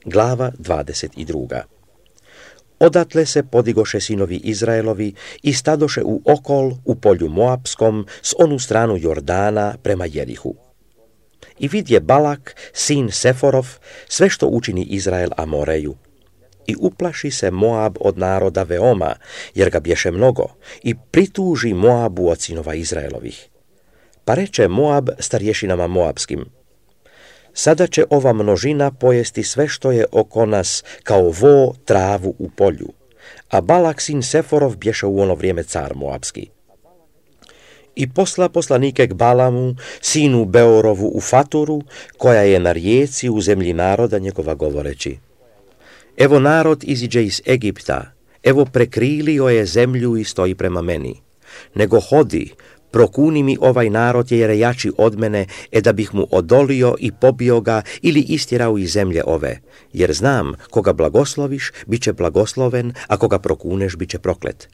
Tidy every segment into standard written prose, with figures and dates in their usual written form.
Glava 22. Odatle se podigoše sinovi Izraelovi i stadoše u okol u polju Moapskom s onu stranu Jordana prema Jerihu. I vidje Balak, sin Seforov, sve što učini Izrael Amoreju. I uplaši se Moab od naroda veoma, jer ga bješe mnogo, i prituži Moabu od sinova Izraelovih. Pa reče Moab starješinama Moabskim: sada će ova množina pojesti sve što je oko nas, kao vo travu u polju. A Balak sin Seforov bješe u ono vrijeme car Moabski. I posla poslanike k Balamu, sinu Beorovu u Faturu, koja je na rijeci u zemlji naroda njegova, govoreći: evo narod iziđe iz Egipta, evo prekrilio je zemlju i stoji prema meni. Nego hodi, prokuni mi ovaj narod jer je jači od mene, da bih mu odolio i pobio ga ili istjerao iz zemlje ove. Jer znam, koga blagosloviš, bit će blagosloven, a koga prokuneš, bit će proklet.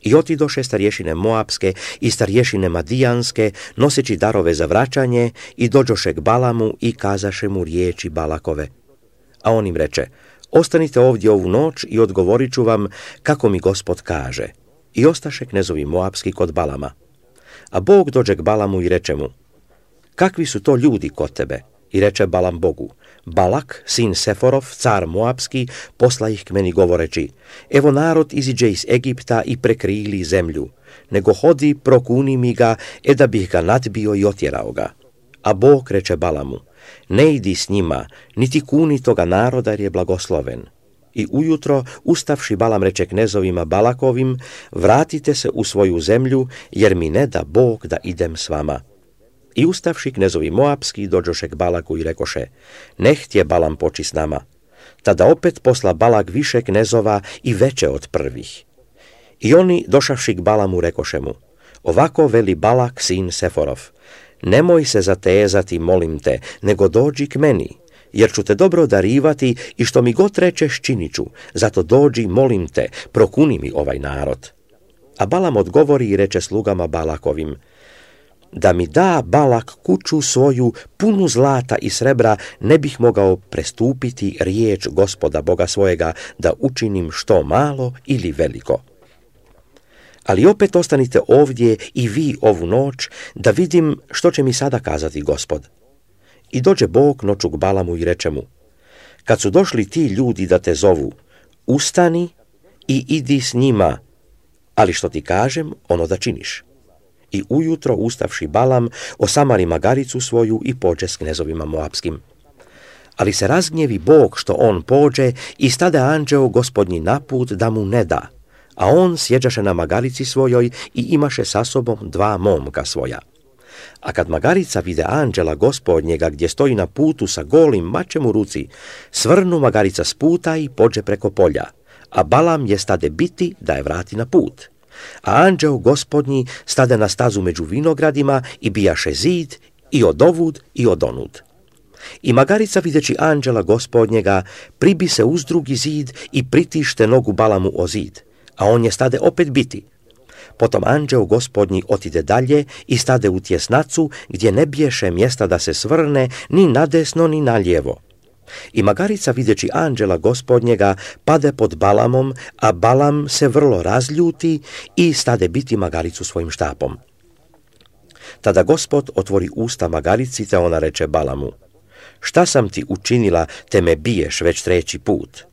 I otidoše starješine Moapske i starješine Madijanske, noseći darove za vraćanje, i dođoše k Balamu i kazaše mu riječi Balakove. A on im reče: ostanite ovdje ovu noć i odgovorit ću vam kako mi Gospod kaže. I ostaše knezovi Moapski kod Balama. A Bog dođe k Balamu i reče mu: kakvi su to ljudi kod tebe? I reče Balam Bogu: Balak, sin Seforov, car Moapski, posla ih k meni govoreći: evo narod iziđe iz Egipta i prekrili zemlju, nego hodi, prokuni mi ga, da bih ga nadbio i otjerao ga. A Bog reče Balamu: ne idi s njima, niti kuni toga naroda, jer je blagosloven. I ujutro, ustavši, Balam reče knezovima Balakovim: vratite se u svoju zemlju, jer mi ne da Bog da idem s vama. I ustavši, knezovi Moapski dođoše k Balaku i rekoše: ne htje Balam poči s nama. Tada opet posla Balak više knezova i veće od prvih. I oni, došavši k Balamu, rekoše mu: ovako veli Balak sin Seforov: nemoj se zatezati, molim te, nego dođi k meni, jer ću te dobro darivati i što mi god rečeš činit ću, zato dođi, molim te, prokuni mi ovaj narod. A Balam odgovori i reče slugama Balakovim: da mi da Balak kuću svoju punu zlata i srebra, ne bih mogao prestupiti riječ Gospoda Boga svojega, da učinim što malo ili veliko. Ali opet ostanite ovdje i vi ovu noć, da vidim što će mi sada kazati Gospod. I dođe Bog noću k Balamu i reče mu: kad su došli ti ljudi da te zovu, ustani i idi s njima, ali što ti kažem, ono da činiš. I ujutro, ustavši Balam, osamari magaricu svoju i pođe s knezovima Moapskim. Ali se razgnjevi Bog što on pođe i stade anđeo Gospodnji naput da mu ne da, a on sjeđaše na magarici svojoj i imaše sa sobom 2 momka svoja. A kad magarica vide anđela Gospodnjega gdje stoji na putu sa golim mačem u ruci, svrnu magarica s puta i pođe preko polja, a Balam je stade biti da je vrati na put. A anđeo Gospodnji stade na stazu među vinogradima i bijaše zid i odovud i odonud. I magarica, videći anđela Gospodnjega, pribi se uz drugi zid i pritište nogu Balamu o zid, a on je stade opet biti. Potom anđeo Gospodnji otide dalje i stade u tjesnacu, gdje ne biješe mjesta da se svrne ni nadesno ni nalijevo. I magarica, videći anđela Gospodnjega, pade pod Balamom, a Balam se vrlo razljuti i stade biti magaricu svojim štapom. Tada Gospod otvori usta magarici, te ona reče Balamu: šta sam ti učinila, te me biješ već 3. put?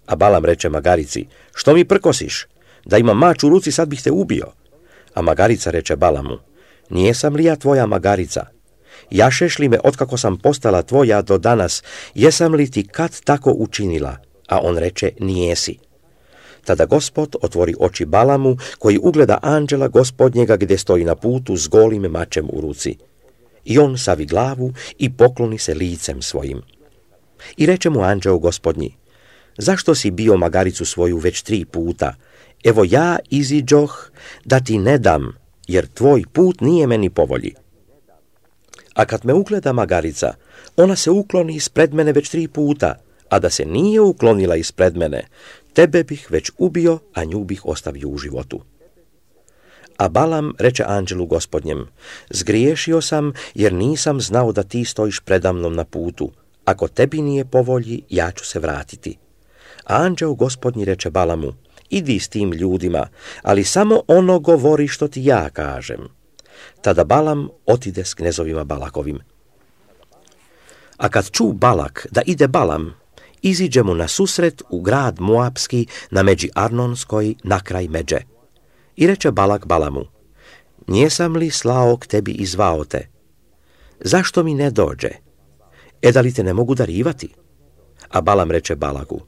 A Balam reče magarici: što mi prkosiš? Da imam mač u ruci, sad bih te ubio. A magarica reče Balamu: nijesam li ja tvoja magarica? Jašeš li me otkako sam postala tvoja do danas, jesam li ti kad tako učinila? A on reče: nijesi. Tada Gospod otvori oči Balamu, koji ugleda anđela Gospodnjega gdje stoji na putu s golim mačem u ruci. I on savi glavu i pokloni se licem svojim. I reče mu anđeo Gospodnji: zašto si bio magaricu svoju već 3 puta? Evo ja iziđoh da ti ne dam, jer tvoj put nije meni po volji. A kad me ugleda magarica, ona se ukloni ispred mene već 3 puta, a da se nije uklonila ispred mene, tebe bih već ubio, a nju bih ostavio u životu. A Balam reče anđelu Gospodnjem: zgriješio sam, jer nisam znao da ti stojiš predamnom na putu, ako tebi nije po volji, ja ću se vratiti. A anđeo gospodnji reče Balamu, idi s tim ljudima, ali samo ono govori što ti ja kažem. Tada Balam otide s knezovima Balakovim. A kad ču Balak da ide Balam, iziđe mu na susret u grad Moapski na međi Arnonskoj na kraj međe. I reče Balak Balamu, njesam li slao k tebi i zvao te? Zašto mi ne dođe? Da li te ne mogu darivati? A Balam reče Balaku,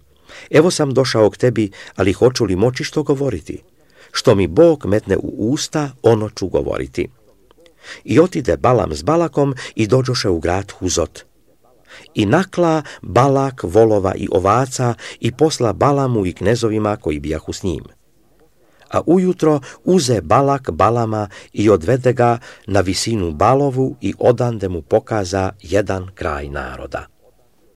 evo sam došao k tebi, ali hoću li moći što govoriti? Što mi Bog metne u usta, ono ću govoriti. I otide Balam s Balakom i dođoše u grad Huzot. I nakla Balak volova i ovaca i posla Balamu i knezovima koji bijahu s njim. A ujutro uze Balak Balama i odvede ga na visinu Balovu i odande mu pokaza jedan kraj naroda.